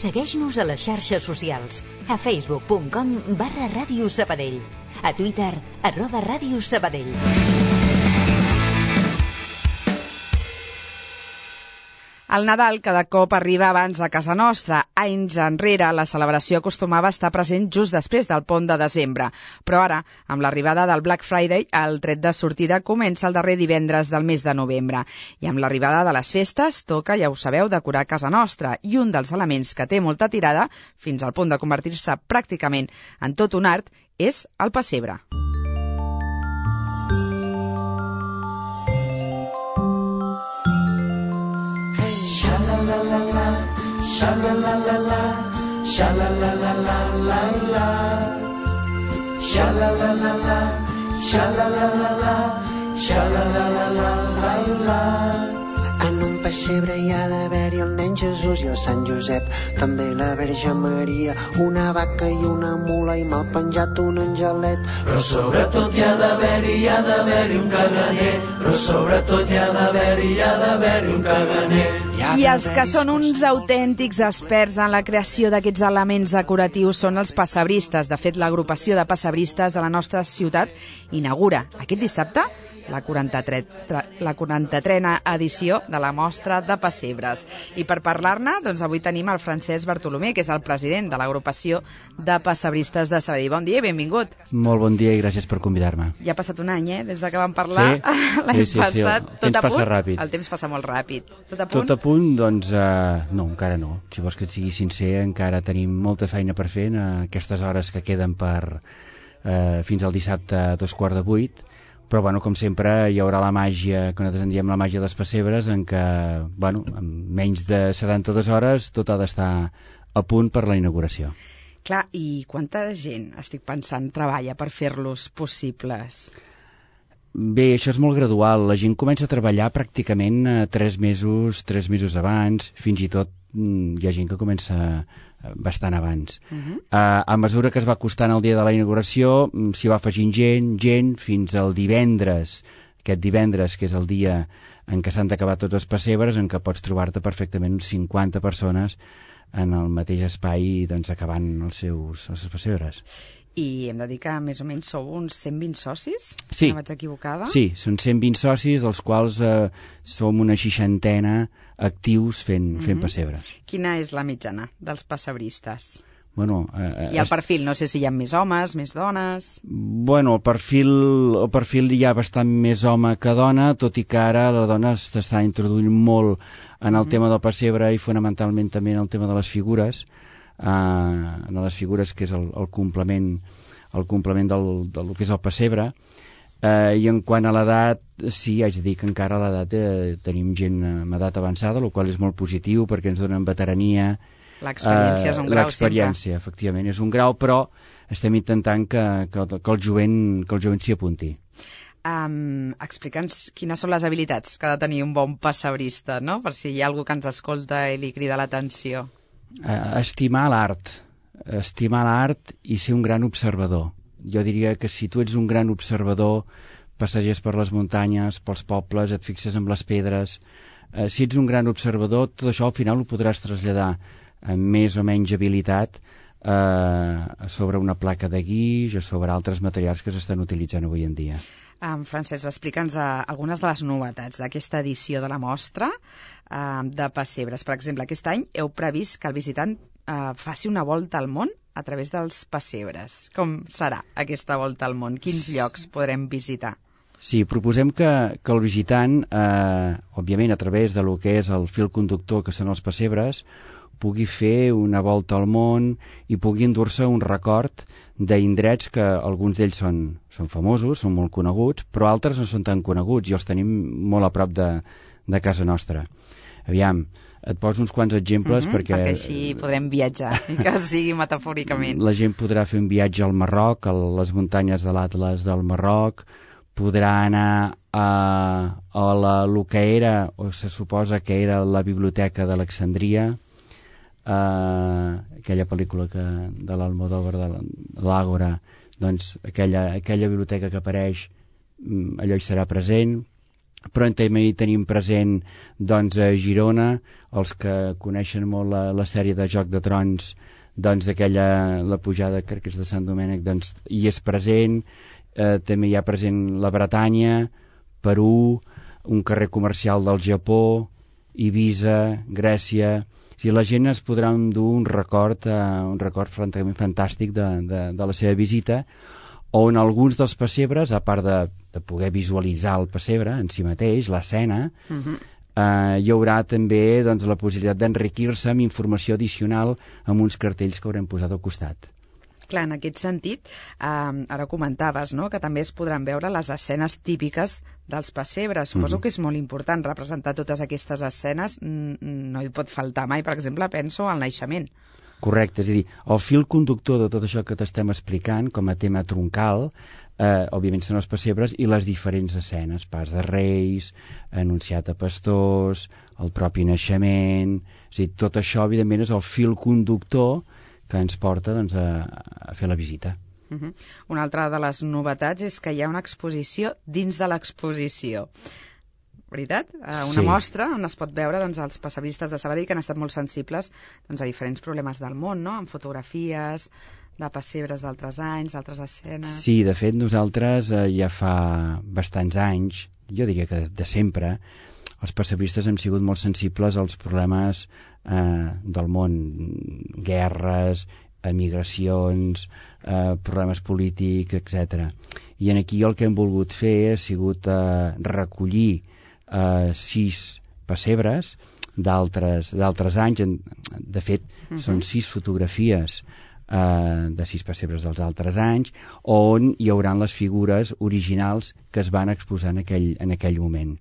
Segueix-nos a les xarxes socials, a facebook.com/Ràdio Sabadell, a Twitter, @Ràdio Sabadell. El Nadal cada cop arriba abans a casa nostra. Anys enrere, la celebració acostumava a estar present just després del pont de desembre. Però ara, amb l'arribada del Black Friday, el tret de sortida comença el darrer divendres del mes de novembre. I amb l'arribada de les festes, toca, ja ho sabeu, decorar casa nostra. I un dels elements que té molta tirada, fins al punt de convertir-se pràcticament en tot un art, és el pessebre. Sha-la-la-la-la, sha-la-la-la-la-la-la, sha-la-la-la-la, sha-la-la-la-la, sha-la-la-la-la-la. En un pessebre hi ha d'haver-hi el nen Jesús i el Sant Josep, també la Verge Maria, una vaca i una mula i mal penjat un angelet. Però sobretot hi ha d'haver-hi un caganer, però sobretot hi ha d'haver-hi un caganer. I els que són uns autèntics experts en la creació d'aquests elements decoratius són els pessebristes. De fet, l'agrupació de pessebristes de la nostra ciutat inaugura aquest dissabte la 43a edició de la Mostra de Pessebres. I per parlar-ne, doncs avui tenim el Francesc Bartolomé, que és el president de l'agrupació de pessebristes de Sabadell. Bon dia i benvingut. Molt bon dia i gràcies per convidar-me. Ja ha passat un any, des de que vam parlar l'any passat. El temps passa ràpid. El temps passa molt ràpid. Tot a punt? Tot a punt, doncs, no, encara no. Si vols que et sigui sincer, encara tenim molta feina per fer en aquestes hores que queden fins al dissabte a 7:45. Però, bueno, com sempre, hi haurà la màgia, que nosaltres en diem la màgia dels pessebres, en què, bueno, en menys de 72 hores tot ha d'estar a punt per la inauguració. Clar, i quanta gent, estic pensant, treballa per fer-los possibles? Bé, això és molt gradual. La gent comença a treballar pràcticament 3 mesos abans, fins i tot hi ha gent que comença bastant abans. A mesura que es va acostant el dia de la inauguració, s'hi va afegint gent, fins al divendres, aquest divendres, que és el dia en què s'han d'acabar tots els pessebres, en què pots trobar-te perfectament 50 persones en el mateix espai, doncs, acabant els seus pessebres. I hem de dir que més o menys sou uns 120 socis? Sí. No vaig equivocada? Sí, són 120 socis, dels quals som una 60 actius fent pessebres. Quina és la mitjana dels pessebristes? Bueno, I el perfil, no sé si hi ha més homes, més dones... Bueno, el perfil hi ha bastant més home que dona, tot i que ara la dona s'està introduint molt en el tema del pessebre i fonamentalment també en el tema de les figures, que és el complement del que és el pessebre. I en quant a l'edat, sí, haig de dir que encara a l'edat tenim gent amb edat avançada, el qual és molt positiu perquè ens donen veterania. L'experiència és un grau sempre. L'experiència, efectivament, és un grau, però estem intentant que el jovent s'hi apunti. Explica'ns quines són les habilitats que ha de tenir un bon pessebrista, no? Per si hi ha algú que ens escolta i li crida l'atenció. Estimar l'art i ser un gran observador. Jo diria que si tu ets un gran observador, passeges per les muntanyes, pels pobles, et fixes en les pedres, si ets un gran observador, tot això al final ho podràs traslladar amb més o menys habilitat sobre una placa de guix o sobre altres materials que s'estan utilitzant avui en dia. Francesc, explica'ns algunes de les novetats d'aquesta edició de la mostra de pessebres. Per exemple, aquest any heu previst que el visitant faci una volta al món a través dels pessebres. Com serà aquesta volta al món? Quins llocs podrem visitar? Sí, proposem que el visitant, òbviament a través de lo que és el fil conductor que són els pessebres, pugui fer una volta al món i pugui endur-se un record d'indrets que alguns d'ells són famosos, són molt coneguts, però altres no són tan coneguts i els tenim molt a prop de casa nostra. Aviam, et poso uns quants exemples perquè així podrem viatjar, i que sigui metafòricament. La gent podrà fer un viatge al Marroc, a les muntanyes de l'Atles del Marroc, podrà anar a el que era, o se suposa que era la Biblioteca d'Alexandria, aquella pel·lícula de l'Almodóvar, de l'Àgora, doncs aquella biblioteca que apareix, allò hi serà present. però també hi tenim present doncs, a Girona, els que coneixen molt la sèrie de Joc de Trons, doncs la pujada, crec que és de Sant Domènec, doncs hi és present. També hi ha present la Bretanya, Perú, un carrer comercial del Japó, Eivissa, Grècia. O sigui, la gent es podrà endur un record francament fantàstic de la seva visita, on alguns dels pessebres, a part de poder visualitzar el pessebre en si mateix, l'escena, hi haurà també doncs, la possibilitat d'enriquir-se amb informació addicional amb uns cartells que haurem posat al costat. Clar, en aquest sentit, ara comentaves, no?, que també es podran veure les escenes típiques dels pessebres. Suposo que és molt important representar totes aquestes escenes. No hi pot faltar mai, per exemple, penso al naixement. Correcte, és a dir, el fil conductor de tot això que t'estem explicant com a tema troncal, òbviament són els pessebres i les diferents escenes, pas de reis, anunciat a pastors, el propi naixement. És a dir, tot això, evidentment, és el fil conductor que ens porta doncs, a fer la visita. Una altra de les novetats és que hi ha una exposició dins de l'exposició. Veritat? Una mostra on es pot veure doncs, els passebristes de Sabadell que han estat molt sensibles doncs, a diferents problemes del món, no?, amb fotografies de pessebres d'altres anys, d'altres escenes... Sí, de fet, nosaltres ja fa bastants anys, jo diria que de sempre, els pessebristes hem sigut molt sensibles als problemes del món, guerres, emigracions, problemes polítics, etc. I aquí el que hem volgut fer ha sigut recollir 6 pessebres d'altres anys. De fet, són 6 fotografies de 6 pessebres dels altres anys, on hi hauran les figures originals que es van exposar en aquell moment.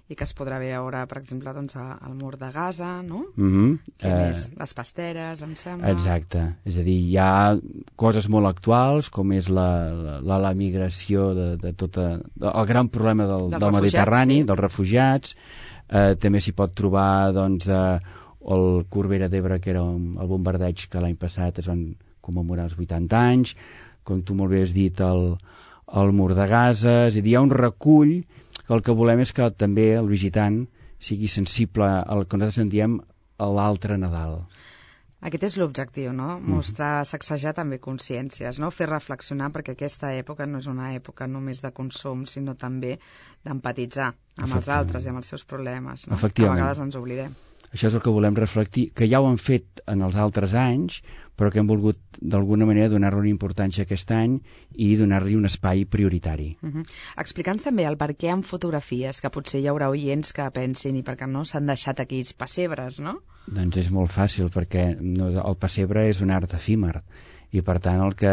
I que es podrà veure, per exemple, doncs, al mur de Gaza, no? Què més? Les pasteres, em sembla. Exacte. És a dir, hi ha coses molt actuals, com és la migració de tot el gran problema del Mediterrani, dels refugiats. També s'hi pot trobar doncs, el Corbera d'Ebre, que era el bombardeig que l'any passat es van commemorar els 80 anys, com tu molt bé has dit, el mur de Gaza. És a dir, hi ha un recull que el que volem és que també el visitant sigui sensible al que nosaltres en diem l'altre Nadal. Aquest és l'objectiu, no? Mostrar, sacsejar també consciències, no? Fer reflexionar, perquè aquesta època no és una època només de consum, sinó també d'empatitzar amb els altres i amb els seus problemes, no? Efectivament. A vegades ens oblidem. Això és el que volem reflectir, que ja ho han fet en els altres anys, però que hem volgut d'alguna manera donar-li una importància aquest any i donar-li un espai prioritari. Explica'ns també el per què amb fotografies, que potser hi haurà oients que pensin i per què no s'han deixat aquells pessebres, no? Doncs és molt fàcil, perquè el pessebre és un art efímer i per tant el que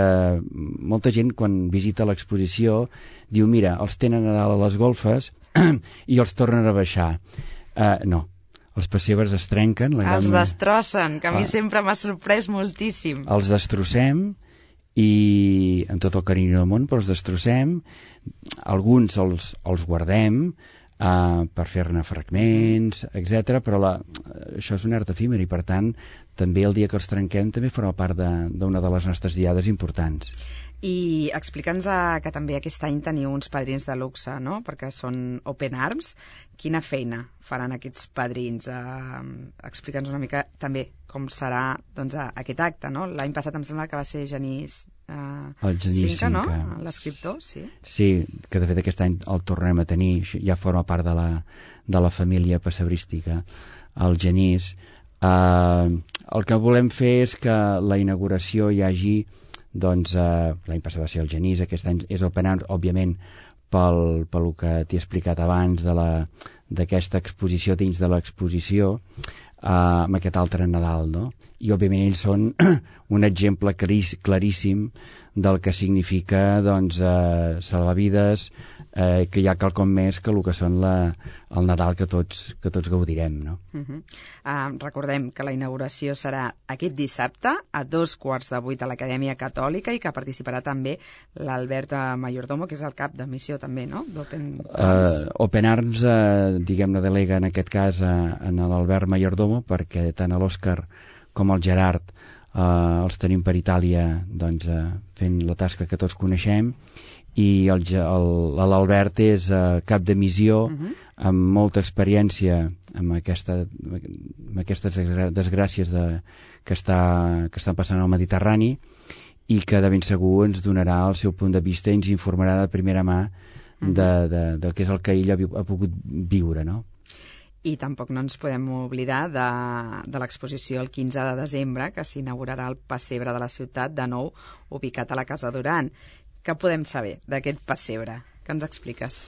molta gent quan visita l'exposició diu, mira, els tenen a dalt a les golfes i els tornen a baixar. No. Els pessebres es trenquen. Els destrossen, que a mi sempre m'ha sorprès moltíssim. Els destrossem i amb tot el carinyo del món, però els destrossem. Alguns els guardem per fer-ne fragments, etc. Però això és un art efímer i per tant també el dia que els trenquem també forma part d'una de les nostres diades importants. I explica'ns que també aquest any teniu uns padrins de luxe, no?, perquè són Open Arms. Quina feina faran aquests padrins? Explica'ns una mica també com serà doncs, aquest acte, no? L'any passat em sembla que va ser Genís Cinca, no?, l'escriptor, sí. Sí, que de fet aquest any el tornem a tenir, ja forma part de la família pessebrística, el Genís. El que volem fer és que la inauguració hi hagi doncs l'any passat va ser el Genís, aquest any és Open Arms, òbviament pel que t'he explicat abans d'aquesta exposició dins de l'exposició, amb aquest altre Nadal, no? I òbviament ells són un exemple claríssim del que significa doncs, salvar vides, que hi ha quelcom més que el que són el Nadal que tots gaudirem, no? Recordem que la inauguració serà aquest dissabte a 7:15 a l'Acadèmia Catòlica i que participarà també l'Albert Mayordomo, que és el cap de missió també, no?, d'Open Arms. Open Arms, diguem-ne, delega en aquest cas en l'Albert Mayordomo, perquè tant l'Òscar com el Gerard els tenim per Itàlia doncs, fent la tasca que tots coneixem, i l'Albert és cap de missió, amb molta experiència amb aquestes desgràcies que estan passant al Mediterrani, i que de ben segur ens donarà el seu punt de vista i ens informarà de primera mà de què és el que ell ha pogut viure, no? I tampoc no ens podem oblidar de l'exposició el 15 de desembre, que s'inaugurarà el pessebre de la ciutat, de nou ubicat a la Casa Duran. Què podem saber d'aquest pessebre? Què ens expliques?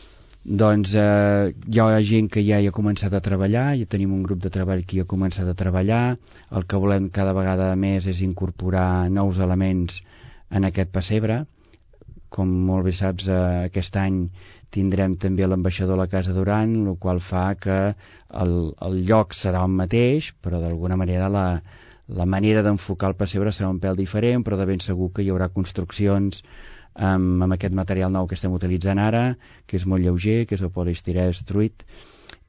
Doncs hi ha gent que ja hi ha començat a treballar, ja tenim un grup de treball que hi ha començat a treballar. El que volem cada vegada més és incorporar nous elements en aquest pessebre. Com molt bé saps, aquest any tindrem també l'ambaixador a la Casa Duran, el qual fa que el lloc serà el mateix, però d'alguna manera la manera d'enfocar el pessebre serà un pèl diferent, però de ben segur que hi haurà construccions amb aquest material nou que estem utilitzant ara, que és molt lleuger, que és el poliestirè extruït,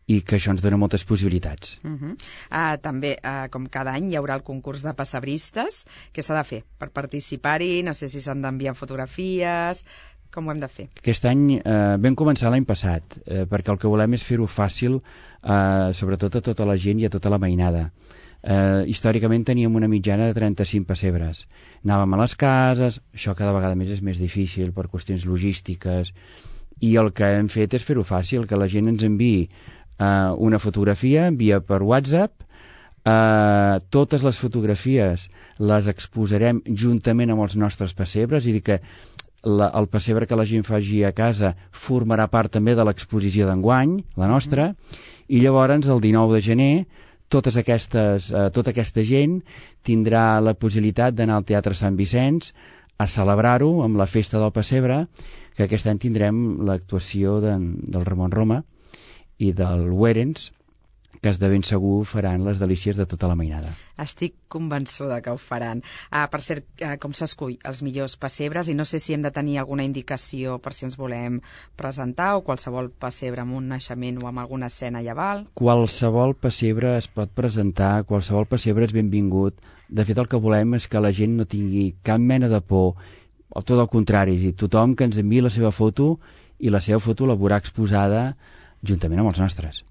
i que això ens dona moltes possibilitats. També, com cada any, hi haurà el concurs de pessebristes. Què s'ha de fer per participar-hi? No sé si s'han d'enviar fotografies. Com ho hem de fer? Aquest any vam començar l'any passat, perquè el que volem és fer-ho fàcil, sobretot a tota la gent i a tota la mainada. Històricament teníem una mitjana de 35 pessebres. Anàvem a les cases, això cada vegada més és més difícil per qüestions logístiques, i el que hem fet és fer-ho fàcil, que la gent ens enviï una fotografia, envia per WhatsApp. Totes les fotografies les exposarem juntament amb els nostres pessebres, i dir que el pessebre que la gent faci a casa formarà part també de l'exposició d'enguany, la nostra, i llavors el 19 de gener tota aquesta gent tindrà la possibilitat d'anar al Teatre Sant Vicenç a celebrar-ho amb la festa del pessebre, que aquest any tindrem l'actuació del Ramon Roma i del Werens, que de ben segur faran les delícies de tota la mainada. Estic convençuda que ho faran. Per cert, com s'escull els millors pessebres, i no sé si hem de tenir alguna indicació per si ens volem presentar, o qualsevol pessebre amb un naixement o amb alguna escena lleval? Qualsevol pessebre es pot presentar, qualsevol pessebre és benvingut. De fet, el que volem és que la gent no tingui cap mena de por, o tot el contrari, tothom que ens enviï la seva foto, i la seva foto la veurà exposada juntament amb els nostres.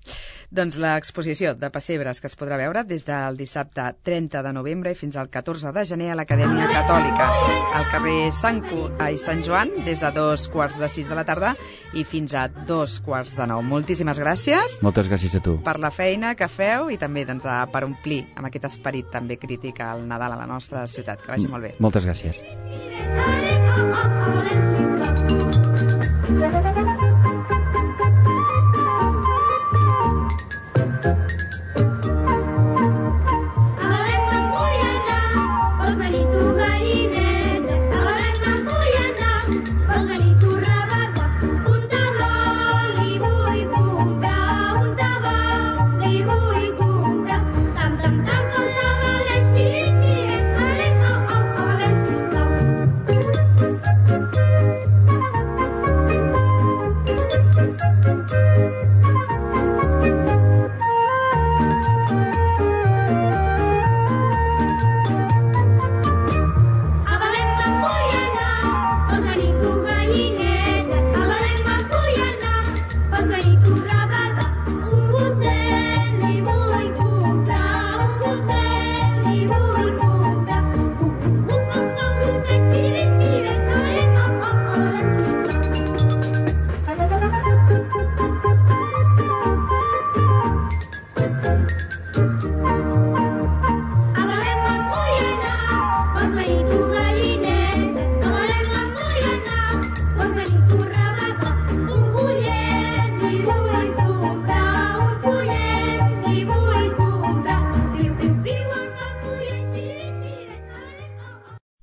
Doncs l'exposició de pessebres que es podrà veure des del dissabte 30 de novembre i fins al 14 de gener a l'Acadèmia Catòlica, al carrer Sant Joan, des de 2:15 de la tarda i fins a 2:15. Moltíssimes gràcies. Moltes gràcies a tu. Per la feina que feu i també per omplir amb aquest esperit també crític al Nadal a la nostra ciutat. Que vagi molt bé. Moltes gràcies.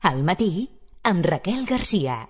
Al matí, amb Raquel Garcia.